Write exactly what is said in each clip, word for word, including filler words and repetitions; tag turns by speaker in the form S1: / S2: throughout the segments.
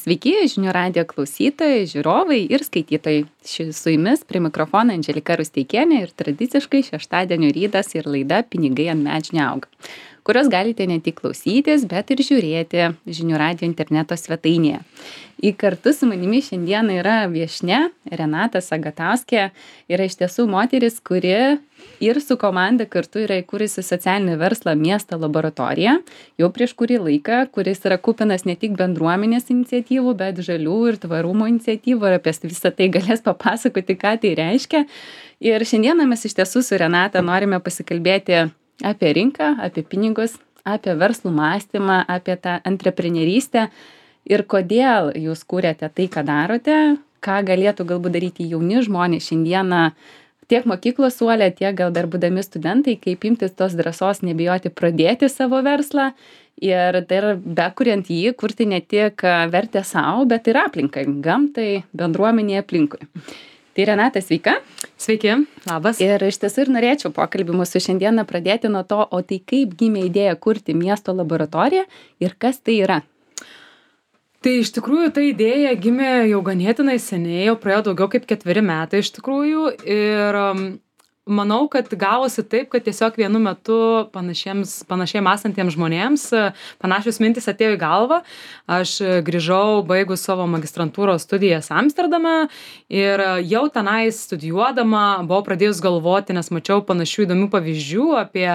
S1: Sveiki, žinių radijo klausytojai, žiūrovai ir skaitytojai. Ši su jumis prie mikrofono Andželika Rusteikienė ir tradiciškai šeštadienio rytas ir laida Pinigai ant medžių neauga, kurios galite ne tik klausytis, bet ir žiūrėti žinių radijo interneto svetainėje. Į kartu su manimi šiandien yra viešnia Renata Sagatauskė, yra iš tiesų moteris, kuri ir su komanda kartu yra įkūrusi socialinį verslą Miesto laboratorija jau prieš kurį laiką, kuris yra kupinas ne tik bendruomenės iniciatyvų, bet žalių ir tvarumo iniciatyvų ir apie visą tai galės papasakoti, ką tai reiškia. Ir šiandieną mes iš tiesų su Renata norime pasikalbėti apie rinką, apie pinigus, apie verslų mąstymą, apie tą antreprenerystę ir kodėl jūs kūrėte tai, ką darote, ką galėtų galbūt daryti jauni žmonės šiandieną tiek mokyklos suole, tiek gal dar būdami studentai, kaip imtis tos drąsos nebijoti pradėti savo verslą ir dar bekuriant jį, kurti ne tik vertę savo, bet ir aplinkai, gamtai, bendruomenėje aplinkui. Tai Renata, sveika.
S2: Sveiki, labas.
S1: Ir iš tiesų ir norėčiau pokalbį mūsų šiandieną pradėti nuo to, o tai kaip gimė idėja kurti Miesto laboratoriją ir kas tai yra?
S2: Tai iš tikrųjų ta idėja gimė jau ganėtinai seniai, jau praėjo daugiau kaip ketveri metai iš tikrųjų ir um, manau, kad gavosi taip, kad tiesiog vienu metu panašiems, panašiai mąstantiems žmonėms panašios mintis atėjo į galvą. Aš grįžau baigus savo magistrantūros studijas Amsterdame ir jau tenais studijuodama buvau pradėjus galvoti, nes mačiau panašių įdomių pavyzdžių apie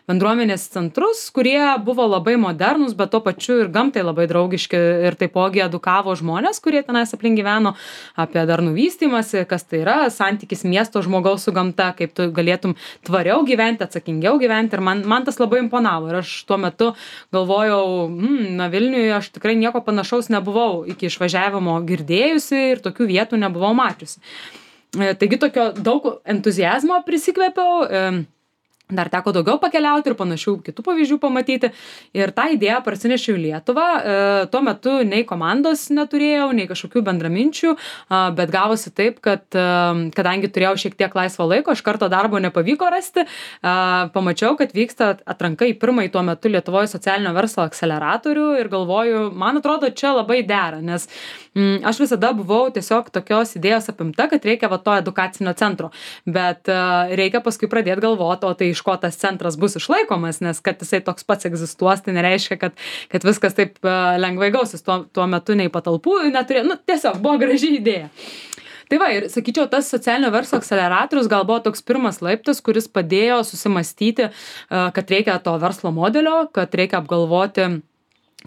S2: bendruomenės centrus, kurie buvo labai modernūs, bet tuo pačiu ir gamtai labai draugiški ir taipogi edukavo žmonės, kurie tenais aplink gyveno, apie darnų vystymąsi, kas tai yra, santykis miesto žmogaus su gamta, kaip tu galėtum tvariau gyventi, atsakingiau gyventi ir man, man tas labai imponavo ir aš tuo metu galvojau, hmm, na Vilniuje aš tikrai nieko panašaus nebuvau iki išvažiavimo girdėjusi ir tokių vietų nebuvau mačiusi. Taigi tokio daug entuziazmo prisikvėpiau, dar teko daugiau pakeliauti ir panašių kitų pavyzdžių pamatyti ir tą idėją parsinešiau į Lietuvą. Tuo metu nei komandos neturėjau, nei kažkokių bendraminčių, bet gavosi taip, kad kadangi turėjau šiek tiek laisvo laiko, iš karto darbo nepavyko rasti, pamačiau, kad vyksta atranka į pirmąjį tuo metu Lietuvoje socialinio verslo akseleratorių ir galvoju, man atrodo, čia labai dera, nes mm, aš visada buvau tiesiog tokios idėjos apimta, kad reikia va to edukacinio centro, bet reikia paskui pradėti galvoti, o tai iš ko tas centras bus išlaikomas, nes kad jisai toks pats egzistuos, tai nereiškia, kad, kad viskas taip uh, lengvai gausis. Tuo, tuo metu nei patalpų neturėjo, nu tiesiog buvo graži idėja. Tai va, ir sakyčiau, tas socialinio verslo akseleratorius gal buvo toks pirmas laiptas, kuris padėjo susimastyti, uh, kad reikia to verslo modelio, kad reikia apgalvoti,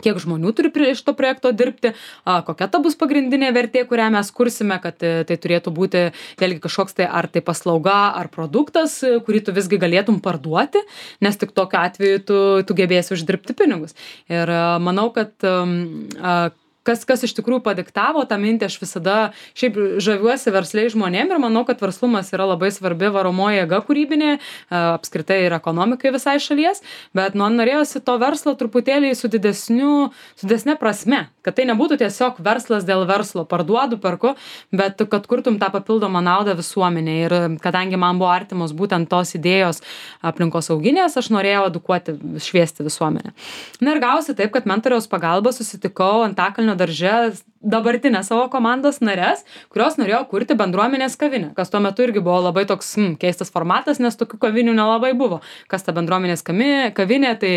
S2: kiek žmonių turi prie šito projekto dirbti, a, kokia ta bus pagrindinė vertė, kurią mes kursime, kad tai turėtų būti vėlgi kažkoks tai ar tai paslauga, ar produktas, kurį tu visgi galėtum parduoti, nes tik tokiu atveju tu, tu gebėsi uždirbti pinigus. Ir a, manau, kad a, Kas, kas iš tikrųjų padiktavo tą mintį, aš visada šiaip žaviuosi versliai žmonėm ir manau, kad verslumas yra labai svarbi varomoji jėga kūrybinė, apskritai ir ekonomikai visai šalies, bet man norėjosi to verslo truputėlį su didesniu, su didesne prasme, kad tai nebūtų tiesiog verslas dėl verslo, parduodu, perku, bet kad kurtum tą papildomą naudą visuomenė. Ir kadangi man buvo artimos būtent tos idėjos aplinkosauginės, aš norėjau edukuoti, šviesti visuomenę. Na ir gausi taip, kad mentoriaus pagalba susitikau Antakalnio darže dabartinę savo komandos nares, kurios norėjo kurti bendruomenės kavinę, kas tuo metu irgi buvo labai toks hmm, keistas formatas, nes tokių kavinių nelabai buvo. Kas ta bendruomenės kavinė, tai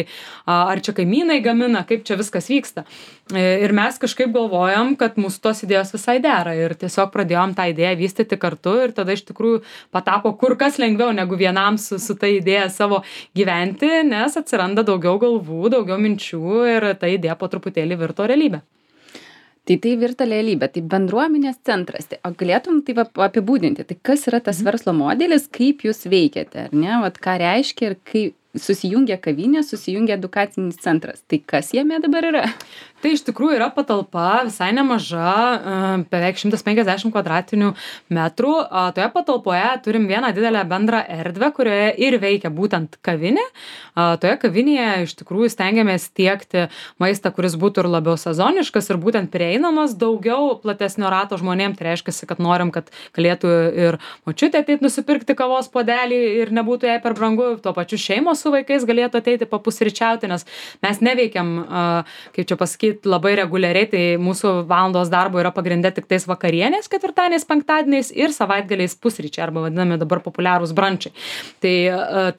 S2: ar čia kaimynai gamina, kaip čia viskas vyksta. Ir mes kažkaip galvojom, kad mūsų tos idėjos visai dera ir tiesiog pradėjom tą idėją vystyti kartu ir tada iš tikrųjų patapo kur kas lengviau negu vienam su, su ta idėja savo gyventi, nes atsiranda daugiau galvų, daugiau minčių ir ta idėja po truputėlį virto realybę.
S1: Tai tai virta realybė, tai bendruomenės centras. Tai, o galėtum tai apibūdinti, tai kas yra tas verslo modelis, kaip jūs veikiate, ar ne? Vat ką reiškia ir kaip susijungia kavinė, susijungia edukacinis centras. Tai kas jame dabar yra?
S2: Tai iš tikrųjų yra patalpa visai nemaža, beveik šimtas penkiasdešimt kvadratinių metrų. Toje patalpoje turim vieną didelę bendrą erdvę, kurioje ir veikia būtent kavinė. Toje kavinėje iš tikrųjų stengiamės tiekti maistą, kuris būtų ir labiau sezoniškas ir būtent prieinamas daugiau platesnio rato žmonėm. Tai reiškia, kad norim, kad galėtų ir močiutė ateit nusipirkti kavos puodelį ir nebūtų jai per brangu, tuo pačiu šeimos su vaikais galėtų ateiti papusryčiauti, nes mes neveikiam, kaip čia pasakyti, labai reguliariai, tai mūsų valandos darbo yra pagrindė tik tais vakarienės, ketvirtadieniais, penktadieniais ir savaitgaliais pusryčiai, arba vadinami dabar populiarūs brančiai. Tai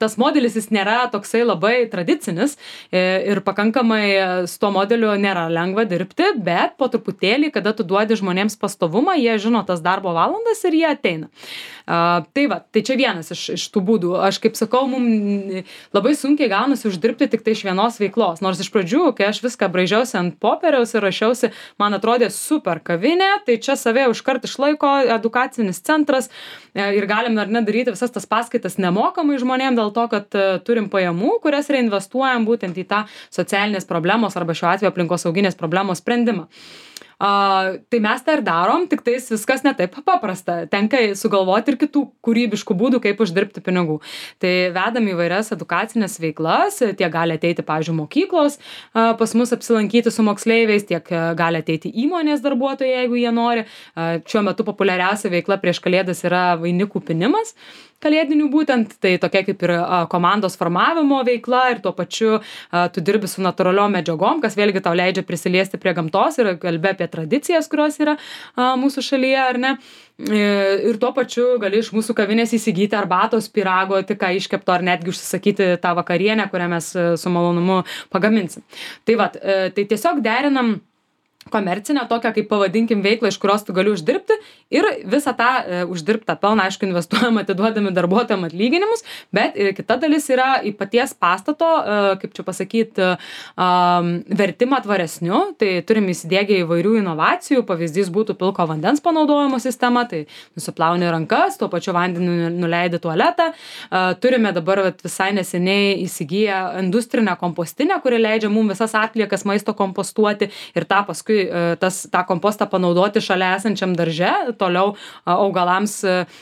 S2: tas modelis jis nėra toksai labai tradicinis ir pakankamai su tuo modeliu nėra lengva dirbti, bet po truputėlį, kada tu duodi žmonėms pastovumą, jie žino tas darbo valandas ir jie ateina. Uh, tai va, tai čia vienas iš, iš tų būdų. Aš kaip sakau, mums labai sunkiai gaunasi uždirbti tik tai iš vienos veiklos. Nors iš pradžių, kai aš viską braižiausi ant popieriaus ir rašiausi, man atrodė super kavinė, tai čia save užkart išlaiko edukacinis centras ir galim ar ne daryti visas tas paskaitas nemokamai žmonėm dėl to, kad uh, turim pajamų, kurias reinvestuojam būtent į tą socialinės problemos arba šiuo atveju aplinkosauginės problemos sprendimą. Uh, tai mes tą ir darom, tik tais viskas ne taip paprasta. Tenka sugalvoti ir kitų kūrybiškų būdų, kaip uždirbti pinigų. Tai vedam įvairias edukacinės veiklas, tiek gali ateiti, pavyzdžiui, mokyklos uh, pas mus apsilankyti su moksleiviais, tiek uh, gali ateiti įmonės darbuotojai, jeigu jie nori. Uh, šiuo metu populiariausia veikla prieš kalėdas yra vainikų pinimas. Kalėdinių būtent, tai tokia kaip ir a, komandos formavimo veikla ir tuo pačiu a, tu dirbi su natūraliom medžiagom, kas vėlgi tau leidžia prisiliesti prie gamtos ir kalbė apie tradicijas, kurios yra a, mūsų šalyje, ar ne. Ir tuo pačiu gali iš mūsų kavinės įsigyti arbatos, pyrago, tik ką iškepto ar netgi užsisakyti tą vakarienę, kurią mes su malonumu pagaminsim. Tai va, tai tiesiog derinam komercinę tokią, kaip pavadinkim, veiklą, iš kurios tu gali uždirbti ir visą tą e, uždirbtą pelną, aišku, investuojam atidduodami darbuotojam atlyginimus, bet ir kita dalis yra į paties pastato, e, kaip čia pasakyti, e, vertimą tvaresniu, tai turim įsidėgę įvairių inovacijų, pavyzdys būtų pilko vandens panaudojimo sistema, tai nusiplauni rankas, tuo pačiu vandeniu nuleidi tualetą, e, turime dabar vat, visai neseniai įsigiję industrinę kompostinę, kuri leidžia mums visas atliekas maisto kompostuoti ir tą paskui tas, tą kompostą panaudoti šalia esančiam darže, toliau augalams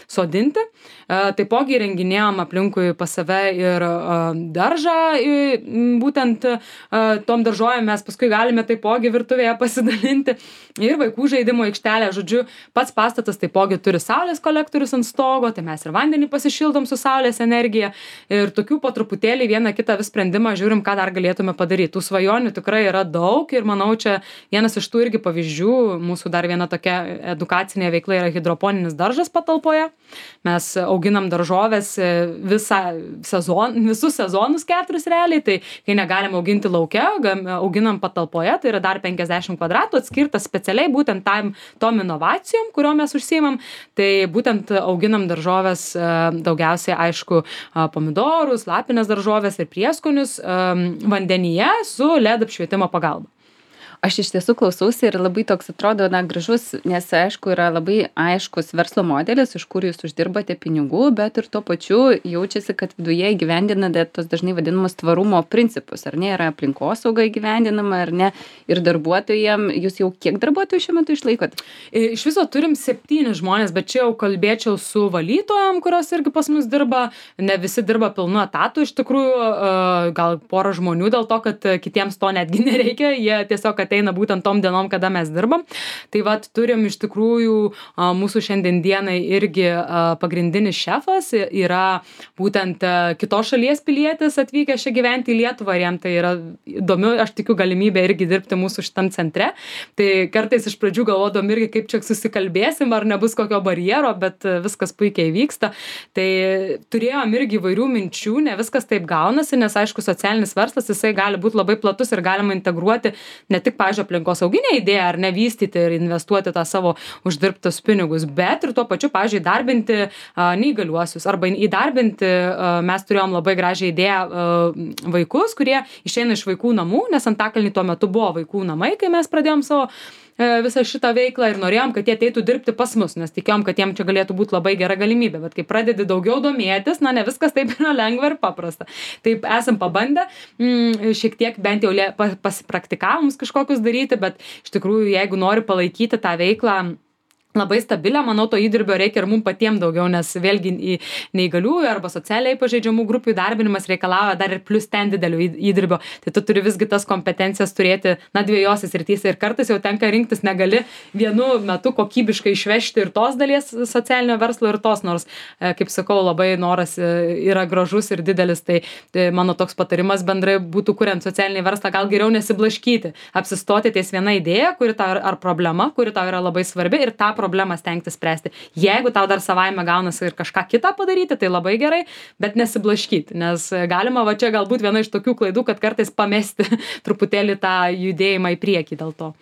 S2: sodinti. Taipogi įrenginėjom aplinkui pas save ir daržą, būtent tom daržovėm mes paskui galime taipogi virtuvėje pasidalinti ir vaikų žaidimo aikštelė. Žodžiu, pats pastatas taipogi turi saulės kolektorius ant stogo, tai mes ir vandenį pasišildom su saulės energija ir tokių po truputėlį vieną kitą vis sprendimą žiūrim, ką dar galėtume padaryti. Tų svajonių tikrai yra daug ir manau, čia vienas iš tų irgi pavyzdžių, mūsų dar viena tokia edukacinė veikla yra hidroponinis daržas patalpoje. Mes auginam daržovės visą sezon, visus sezonus keturis realiai, tai kai negalim auginti lauke, auginam patalpoje, tai yra dar penkiasdešimt kvadratų atskirtas specialiai būtent tam, tom inovacijom, kurio mes užsiimam, tai būtent auginam daržovės daugiausiai, aišku, pomidorus, lapines daržovės ir prieskonius vandenyje su L E D apšvietimo pagalba.
S1: Aš iš tiesų klausausi ir labai toks atrodo, na, gražus, nes aišku, yra labai aiškus verslo modelis, iš kur jūs uždirbate pinigų, bet ir tuo pačiu jaučiasi, kad viduje įgyvendinate tos dažnai vadinamus tvarumo principus, ar ne, yra aplinkosauga įgyvendinama, ar ne, ir darbuotojam, jūs jau kiek darbuotojų šiuo metu išlaikot?
S2: Iš viso turim septynis žmonės, bet čia jau kalbėčiau su valytojom, kurios irgi pas mus dirba, ne visi dirba pilnu etatu, iš tikrųjų, gal porą žmonių dėl to, kad kitiems to netgi nereikia, jie tiesiog ateina būtent tom dienom, kada mes dirbam. Tai vat turim iš tikrųjų mūsų šiandien dienai irgi pagrindinis šefas yra būtent kitos šalies pilietis atvykęs čia gyventi į Lietuvą ir jam tai yra įdomu, aš tikiu galimybę irgi dirbti mūsų šitam centre. Tai kartais iš pradžių galvodom irgi, kaip čia susikalbėsim, ar nebus kokio barjero, bet viskas puikiai vyksta. Tai turėjom irgi įvairių minčių, ne viskas taip gaunasi, nes aišku, socialinis verslas, jisai gali būti labai platus ir galima integruoti ne tik, pavyzdžiui, aplinkosauginę idėją ar nevystyti ir investuoti tą savo uždirbtus pinigus, bet ir tuo pačiu, pavyzdžiui, įdarbinti a, neįgaliuosius arba įdarbinti, a, mes turėjom labai gražią idėją a, vaikus, kurie išeina iš vaikų namų, nes Antakalny tuo metu buvo vaikų namai, kai mes pradėjom savo visą šitą veiklą ir norėjom, kad jie ateitų dirbti pas mus, nes tikėjom, kad jiem čia galėtų būti labai gera galimybė, bet kai pradedi daugiau domėtis, na, ne viskas taip yra lengva ir paprasta. Taip esam pabandę, mm, šiek tiek bent jau pasipraktikavimus kažkokius daryti, bet iš tikrųjų, jeigu nori palaikyti tą veiklą labai stabilią, manau, to įdirbio reikia ir mums patiems daugiau, nes vėlgi į neįgaliųjų arba socialiai pažeidžiamų grupių įdarbinimas reikalauja dar ir plus ten didelio įdirbio. Tai tu turi visgi tas kompetencijas turėti, na, dviejose srityse ir kartais jau tenka rinktis, negali vienu metu kokybiškai išvežti ir tos dalies socialinio verslo ir tos, nors, kaip sakau, labai noras yra gražus ir didelis, tai, tai mano toks patarimas bendrai būtų, kuriant socialinį verslą, gal geriau nesiblaškyti, apsistoti ties viena idėja, kuri tau ar problema, kuri tau yra labai svarbi ir tą problemą stengtis spręsti. Jeigu tau dar savaime gaunasi ir kažką kitą padaryti, tai labai gerai, bet nesiblaškyti, nes galima va čia galbūt viena iš tokių klaidų, kad kartais pamesti truputėlį tą judėjimą į priekį dėl to.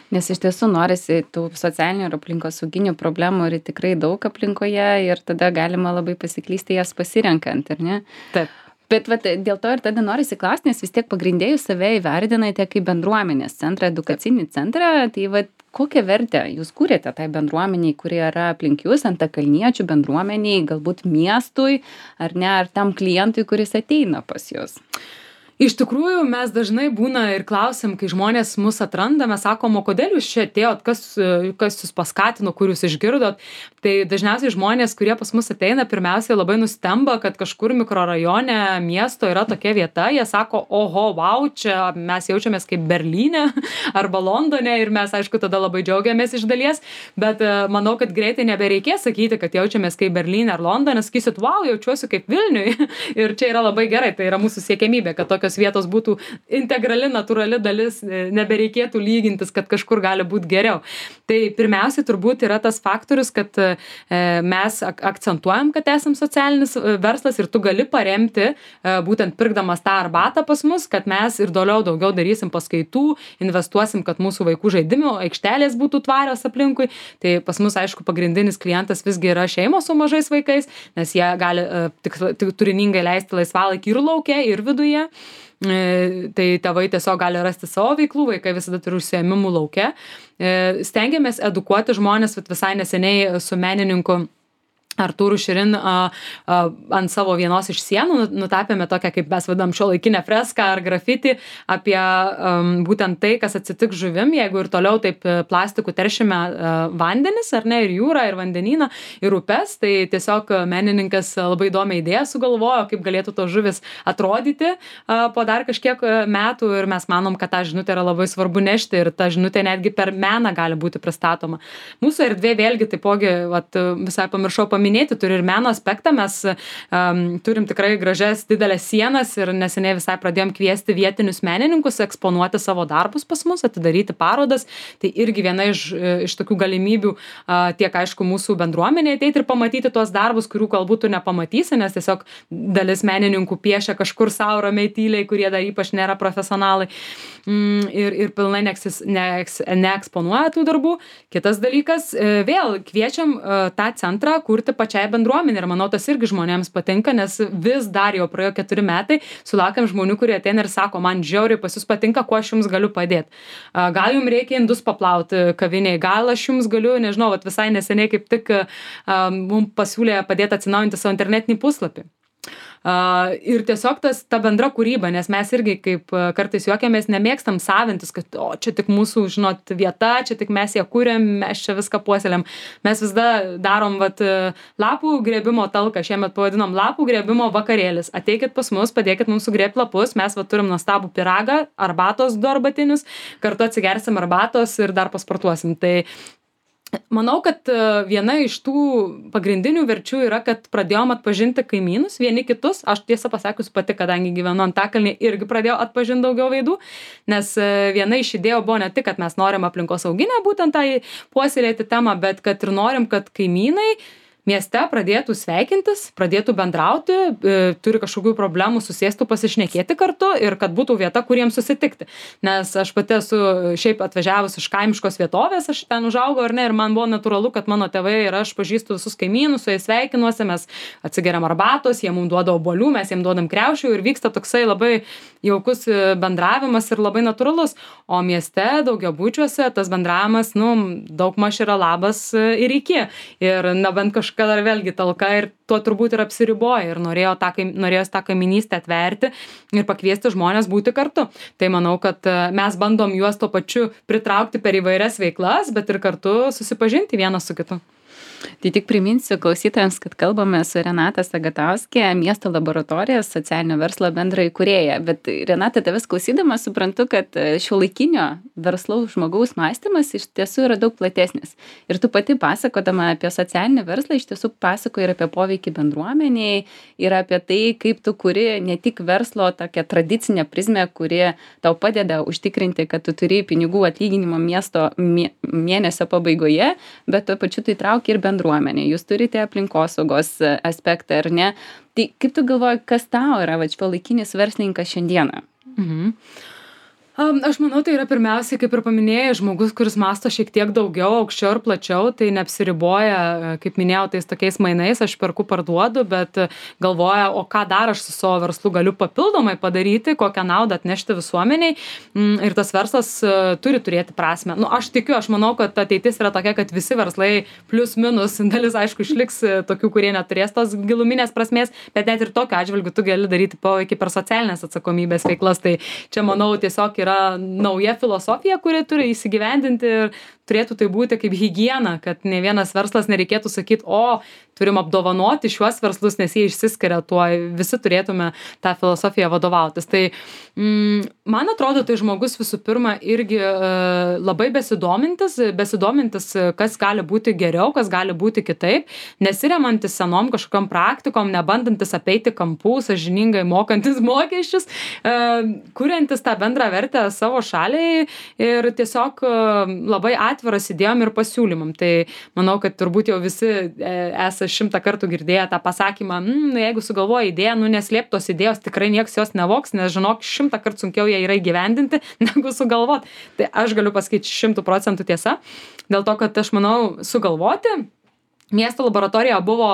S1: Nes iš tiesų norisi tų socialinių ir aplinkosauginių problemų ir tikrai daug aplinkoje ir tada galima labai pasiklysti jas pasirenkant, ar ne?
S2: Taip.
S1: Bet vat, dėl to ir tada norisi klausti, nes vis tiek pagrindėjus save įvardinate kaip bendruomenės centrą, edukacinį centrą, tai vat, kokią vertę jūs kūrėte tai bendruomeniai, kurie yra aplink jūs, antakalniečių bendruomeniai, galbūt miestui, ar ne, ar tam klientui, kuris ateina pas jūs?
S2: Iš tikrųjų, mes dažnai būna ir klausim, kai žmonės mus atranda, mes sakom, o kodėl jūs čia atėjot, kas, kas jūs paskatino, kur jūs išgirdot. Tai dažniausiai žmonės, kurie pas mus ateina, pirmiausiai labai nustemba, kad kažkur mikrorajone miesto yra tokia vieta, jie sako, oho, wow, čia mes jaučiamės kaip Berlyne arba Londone ir mes, aišku, tada labai džiaugiamės iš dalies, bet manau, kad greitai nebereikės sakyti, kad jaučiamės kaip Berlyne ar Londone, sakysit, wow, jaučiuosi kaip Vilniui ir čia yra labai gerai, tai yra mūsų siekiamybė, kad tokios vietos būtų integrali, natūrali dalis, nebereikėtų lygintis, kad kažkur gali būti geriau. Tai pirmiausiai turbūt yra tas faktorius, kad mes akcentuojam, kad esam socialinis verslas ir tu gali paremti, būtent pirkdamas tą arbatą pas mus, kad mes ir toliau daugiau darysim paskaitų, investuosim, kad mūsų vaikų žaidimų aikštelės būtų tvarios aplinkui. Tai pas mus, aišku, pagrindinis klientas visgi yra šeimos su mažais vaikais, nes jie gali tik, tik turiningai leisti laisvalaikį ir lauke, ir viduje. Tai tėvai tiesiog gali rasti savo veiklų, vaikai visada turi užsiėmimų lauke. Stengiamės edukuoti žmonės, visai neseniai su menininku Artūru Širin a, a, ant savo vienos iš sienų nutapėme tokią, kaip mes vadinam, šiuolaikinę freską ar grafitį apie um, būtent tai, kas atsitiks žuvim, jeigu ir toliau taip plastikų teršime uh, vandenis, ar ne, ir jūrą, ir vandenyną, ir upes. Tai tiesiog menininkas labai įdomią idėją sugalvojo, kaip galėtų tos žuvis atrodyti uh, po dar kažkiek metų ir mes manom, kad tą žinutę yra labai svarbu nešti ir ta žinutė netgi per meną gali būti pristatoma. Mūsų erdvė vėlgi taipogi, vat, visai pamiršau paminėti, minėti, turi ir meno aspektą, mes um, turim tikrai gražias didelės sienas ir neseniai visai pradėjom kviesti vietinius menininkus eksponuoti savo darbus pas mus, atidaryti parodas, tai irgi viena iš, iš tokių galimybių uh, tiek aišku mūsų bendruomenė ateiti ir pamatyti tuos darbus, kurių galbūt tu nepamatysi, nes tiesiog dalis menininkų piešia kažkur savo ramiai tyliai, kurie dar ypač nėra profesionalai mm, ir, ir pilnai neeksis, neeks, neeksponuoja tų darbų. Kitas dalykas, vėl kviečiam uh, tą centrą kurti pačiai bendruomenė ir manau, tas irgi žmonėms patinka, nes vis dar jau praėjo keturi metai, sulaukiam žmonių, kurie ateina ir sako, man žiauriai pas jūs patinka, kuo aš jums galiu padėti. Gal jums reikia indus paplauti kaviniai, gal aš jums galiu, nežinau, vat visai neseniai kaip tik mums pasiūlė padėti atsinaujinti savo internetinį puslapį. Uh, ir tiesiog tas, ta bendra kūryba, nes mes irgi kaip uh, kartais juokiamės nemėgstam savintis, kad o, čia tik mūsų, žinot, vieta, čia tik mes ją kūrėm, mes čia viską puoselėm. Mes vis dar darom vat, lapų grėbimo talką, šiemet pavadinom lapų grėbimo vakarėlis. Ateikit pas mus, padėkit mums sugrėbti lapus, mes vat, turim nuostabų pyragą, arbatos du arbatinius, kartu atsigersim arbatos ir dar pasportuosim. Tai manau, kad viena iš tų pagrindinių verčių yra, kad pradėjom atpažinti kaimynus, vieni kitus. Aš tiesą pasakius pati, kadangi gyvenu Antakalny, irgi pradėjau atpažinti daugiau veidų, nes viena iš idėjų buvo ne tik, kad mes norim aplinkosauginę būtent tai puoselėti temą, bet kad ir norim, kad kaimynai mieste pradėtų sveikintis, pradėtų bendrauti, e, turi kažkokių problemų, susėstų pasišnekėti kartu ir kad būtų vieta, kuriems susitikti. Nes aš pati esu šiaip atvažiavus iš kaimiškos vietovės, aš ten užaugau ar ne, ir man buvo natūralu, kad mano tėvai ir aš pažįstu visus kaimynus, su jais sveikinuosi, mes atsigeriam arbatos, jie mums duoda obuolių, mes jiems duodam kriaušių ir vyksta toksai labai jaukus bendravimas ir labai natūralus. O mieste, daugiabučiuose, tas bendravimas, nu, daugmaž yra labas ir iki. Ir na, bent kažkas kažkokia dar vėlgi talka ir tuo turbūt ir apsiriboja ir norėjo tą, norėjos tą kaiminystę atverti ir pakviesti žmonės būti kartu. Tai manau, kad mes bandom juos tuo pačiu pritraukti per įvairias veiklas, bet ir kartu susipažinti vienas su kitu.
S1: Tai tik priminsiu klausytojams, kad kalbame su Renata Sagatauskė, Miesto laboratorijos socialinio verslo bendra įkūrėja. Bet Renata, tavęs klausydama suprantu, kad šiuolaikinio verslaus žmogaus mąstymas iš tiesų yra daug platesnis. Ir tu pati pasakodama apie socialinį verslą iš tiesų pasakoji ir apie poveikį bendruomeniai, ir apie tai, kaip tu kuri ne tik verslo tokią tradicinę prizmę, kuri tau padeda užtikrinti, kad tu turi pinigų atlyginimo miesto mėnesio pabaigoje, bet tuo pačiu tu įtrauki ir bendruomenė. Jūs turite aplinkosaugos aspektą, ar ne? Tai kaip tu galvoji, kas tau yra šiuolaikinis verslininkas šiandieną?
S2: Mhm. Um, aš manau, tai yra pirmiausiai, kaip ir paminėjai, žmogus, kuris masto šiek tiek daugiau, aukščiau ir plačiau, tai neapsiriboja, kaip minėjau, tais tokiais mainais, aš perku, parduodu, bet galvoja, o ką dar aš su savo verslu galiu papildomai padaryti, kokią naudą atnešti visuomeniai. Ir tas verslas uh, turi turėti prasmę. Nu, aš tikiu, aš manau, kad ateitis yra tokia, kad visi verslai plus minus, dalis aišku išliks tokių, kurie neturės tos giluminės prasmės, bet net ir tokiu atžvilgiu tu gali daryti poveikį per socialinės atsakomybės veiklas. Tai čia, manau, tiesiog yra nauja filosofija, kuri turi įsigyvendinti ir turėtų tai būti kaip higiena, kad ne vienas verslas nereikėtų sakyti, o turim apdovanoti šiuos verslus, nes jie išsiskiria tuo, visi turėtume tą filosofiją vadovautis. Tai mm, man atrodo, tai žmogus visų pirma irgi e, labai besidomintis, besidomintis, kas gali būti geriau, kas gali būti kitaip, nesiremantis senom kažkokiam praktikom, nebandantis apeiti kampų, sąžiningai mokantis mokesčius, e, kuriantis tą bendrą vertę savo šaliai ir tiesiog e, labai atviras idėjom ir pasiūlymam. Tai manau, kad turbūt jau visi e, esą šimtą kartų girdėję tą pasakymą, mm, jeigu sugalvoja idėją, nu neslėp tos idėjos, tikrai nieks jos nevoks, nes žinok, šimtą kartų sunkiau ją yra įgyvendinti, negu sugalvot. Tai aš galiu pasakyti šimtų procentų tiesa, dėl to, kad aš manau, sugalvoti miesto laboratorija buvo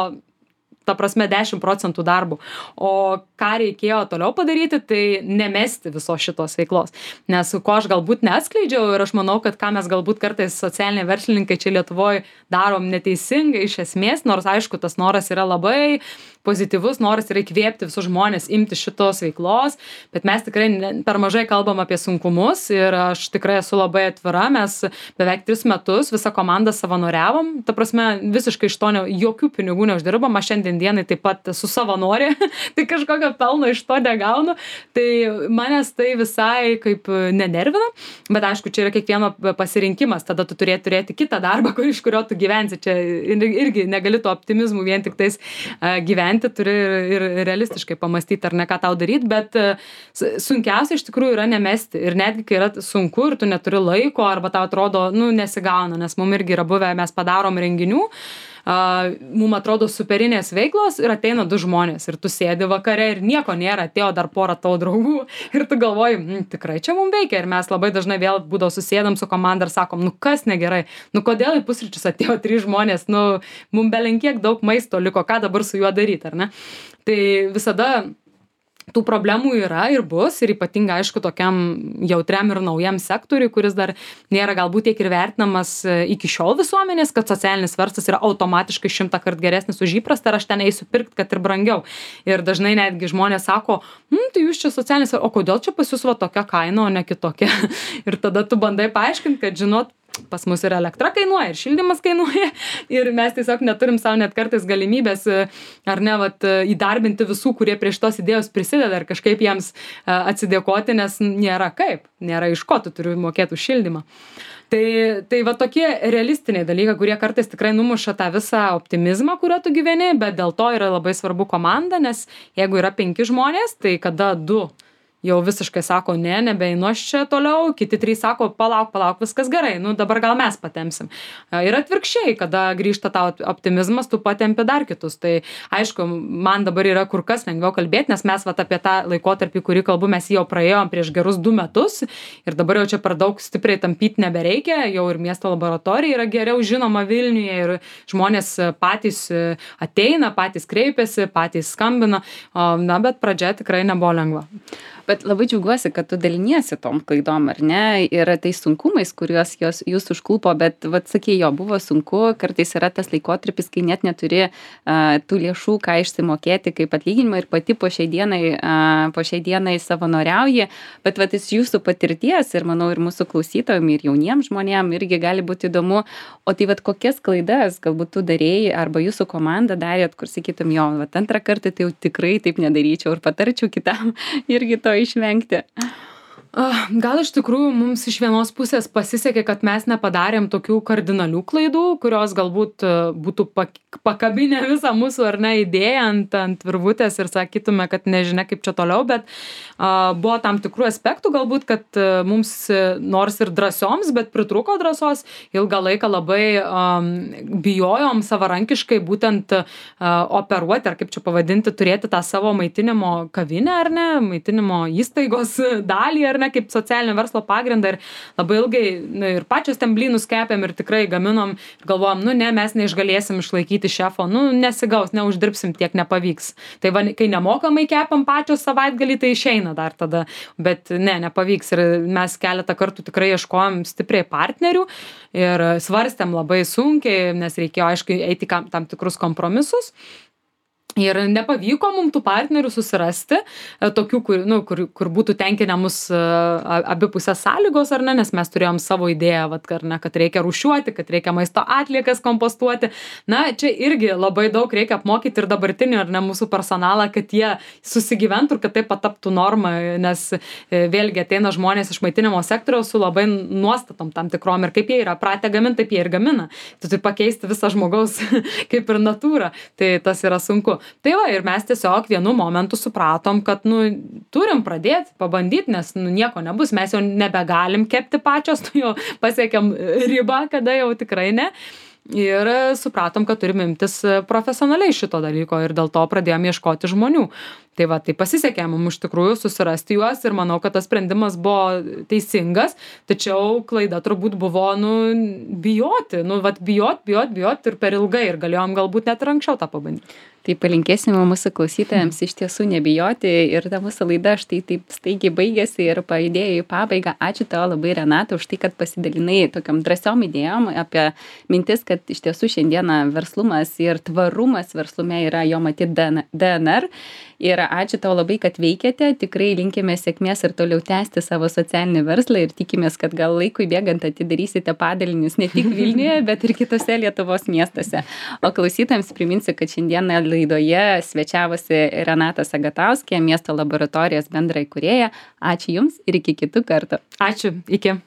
S2: ta prasme dešimt procentų darbų. O ką reikėjo toliau padaryti, tai nemesti visos šitos veiklos. Nes ko aš galbūt neatskleidžiau ir aš manau, kad ką mes galbūt kartais socialiniai verslininkai čia Lietuvoje darom neteisingai iš esmės, nors aišku, tas noras yra labai pozityvus, noras yra įkvėpti visus žmonės imti šitos veiklos, bet mes tikrai per mažai kalbam apie sunkumus ir aš tikrai esu labai atvira, mes beveik tris metus visą komandą savanoriavom, ta prasme visiškai iš to ne, jokių pinigų neuždirbam, aš šiandien dienai taip pat esu savanorė, tai kažkokio pelno iš to negaunu, tai manęs tai visai kaip nenervina, bet aišku, čia yra kiekvieno pasirinkimas, tada tu turėti turėti kitą darbą, kur, iš kurio tu gyvensi, čia irgi negali to optimizmų vien tik tais uh, gyventi, turi ir, ir realistiškai pamastyti, ar ne ką tau daryti, bet uh, sunkiausia iš tikrųjų yra nemesti ir netgi, kai yra sunku ir tu neturi laiko, arba tau atrodo, nu, nesigauna, nes mum irgi yra buvę, mes padarom renginių, Uh, mum atrodo superinės veiklos ir ateina du žmonės ir tu sėdi vakare ir nieko nėra, atėjo dar porą tavo draugų ir tu galvoji, mm, tikrai čia mum veikia ir mes labai dažnai vėl būdavo susėdam su komanda ir sakom, nu kas negerai, nu kodėl į pusryčius atėjo trys žmonės, nu mum belenkiek daug maisto liko, ką dabar su juo daryti, ar ne? Tai visada tų problemų yra ir bus ir ypatingai aišku tokiam jautriam ir naujam sektoriui, kuris dar nėra galbūt tiek ir vertinamas iki šiol visuomenės, kad socialinis verslas yra automatiškai šimtą kart geresnis už įprastą ir aš ten eisiu pirkti, kad ir brangiau. Ir dažnai netgi žmonės sako, hm, tai jūs čia socialinis, o kodėl čia pas jūs va tokia kaina, o ne kitokia? Ir tada tu bandai paaiškinti, kad žinot, pas mus ir elektra kainuoja, ir šildymas kainuoja, ir mes tiesiog neturim savo net kartais galimybės, ar ne, vat, įdarbinti visų, kurie prie šitos idėjos prisideda ir kažkaip jiems atsidėkoti, nes nėra kaip, nėra iš ko, tu turi mokėti už šildymą. Tai, tai va tokie realistiniai dalykai, kurie kartais tikrai numuša tą visą optimizmą, kurio tu gyveni, bet dėl to yra labai svarbu komanda, nes jeigu yra penki žmonės, tai kada du jau visiškai sako, ne, nebeinu aš čia toliau, kiti trys sako, palauk, palauk, viskas gerai, nu dabar gal mes patempsim. Ir atvirkščiai, kada grįžta tau optimizmas, tu patempi dar kitus. Tai aišku, man dabar yra kur kas lengviau kalbėti, nes mes vat apie tą laikotarpį, kurį kalbu, mes jau praėjom prieš gerus du metus ir dabar jau čia per daug stipriai tampyti nebereikia, jau ir miesto laboratorija yra geriau žinoma Vilniuje ir žmonės patys ateina, patys kreipiasi, patys skambina, na, bet pradžia tikrai nebuvo lengva.
S1: Bet bet labai džiaugiuosi, kad tu daliniesi tom klaidom, ar ne, ir tais sunkumais, kuriuos jos, jūs užklupo, bet, vat, sakė, jo, buvo sunku, kartais yra tas laikotarpis, kai net neturi uh, tų lėšų, ką išsimokėti kaip atlyginimą ir pati po šiai dienai, uh, po šiai dienai savanoriauji, bet, vat, iš jūsų patirties ir, manau, ir mūsų klausytojams, ir jauniems žmonėms irgi gali būti įdomu, o tai, vat, kokias klaidas galbūt tu darėjai arba jūsų komanda darėt, kur sakytum, jo, vat, antrą kartą tai jau tikrai taip nedaryčiau ir patarčiau kitam irgi to išvengti.
S2: Gal iš tikrųjų mums iš vienos pusės pasisekė, kad mes nepadarėm tokių kardinalių klaidų, kurios galbūt būtų pakabinę visą mūsų ar ne idėją ant, ant virvutės ir sakytume, kad nežinia kaip čia toliau, bet a, buvo tam tikrų aspektų galbūt, kad a, mums nors ir drąsioms, bet pritruko drąsos, ilgą laiką labai a, bijojom savarankiškai būtent a, operuoti, ar kaip čia pavadinti, turėti tą savo maitinimo kavinę ar ne, maitinimo įstaigos dalį ar ne, kaip socialinio verslo pagrindą ir labai ilgai nu, ir pačios ten blynus kepėm ir tikrai gaminom ir galvojom, nu ne, mes neišgalėsim išlaikyti šefo, nu nesigaus, neuždirbsim, tiek nepavyks. Tai va, kai nemokamai kepam pačios savaitgalį, tai išeina dar tada, bet ne, nepavyks ir mes keletą kartų tikrai ieškojom stipriai partnerių ir svarstėm labai sunkiai, nes reikėjo aišku eiti kam, tam tikrus kompromisus. Ir nepavyko mums tų partnerių susirasti, tokių, kur, nu, kur, kur būtų tenkinę mus abipusės sąlygos, ar ne, nes mes turėjom savo idėją, vat, ar ne, kad reikia rūšiuoti, kad reikia maisto atliekas kompostuoti. Na, čia irgi labai daug reikia apmokyti ir dabartinį, ar ne, mūsų personalą, kad jie susigyventų ir kad tai pataptų normą, nes vėlgi ateina žmonės iš maitinimo sektoriaus su labai nuostatom tam tikrom ir kaip jie yra pratę gaminti, taip jie ir gamina. Tu turi pakeisti visą žmogaus kaip ir natūrą, tai tas yra sunku. Tai va, ir mes tiesiog vienu momentu supratom, kad, nu, turim pradėti, pabandyti, nes, nu, nieko nebus, mes jau nebegalim kepti pačios, nu, jau pasiekėm ribą, kada jau tikrai ne. Ir supratom, kad turim imtis profesionaliai šito dalyko ir dėl to pradėjom ieškoti žmonių. Tai va, tai pasisekė mums iš tikrųjų susirasti juos ir manau, kad tas sprendimas buvo teisingas, tačiau klaida turbūt buvo, nu, bijoti, nu, vat, bijot, bijot, bijot ir per ilgai ir galėjom galbūt net ir anksčiau tą pabandyti.
S1: Tai palinkėsime mūsų klausytojams iš tiesų nebijoti ir ta mūsų laida štai taip staigiai baigėsi ir pajudėjo į pabaigą. Ačiū tau labai, Renata, už tai, kad pasidalinai tokiam drąsiom idėjom apie mintis, kad iš tiesų šiandieną verslumas ir tvarumas verslume yra jo matyt D N R. Ir ačiū tau labai, kad veikiate, tikrai linkime sėkmės ir toliau tęsti savo socialinį verslą ir tikimės, kad gal laikui bėgant atidarysite padalinius ne tik Vilniuje, bet ir kitose Lietuvos miestuose. O klausytojams priminsiu, kad šiandieną laidoje svečiavosi Renata Sagatauskė, miesto laboratorijos bendraįkūrėja. Ačiū Jums ir iki kitų kartų.
S2: Ačiū, iki.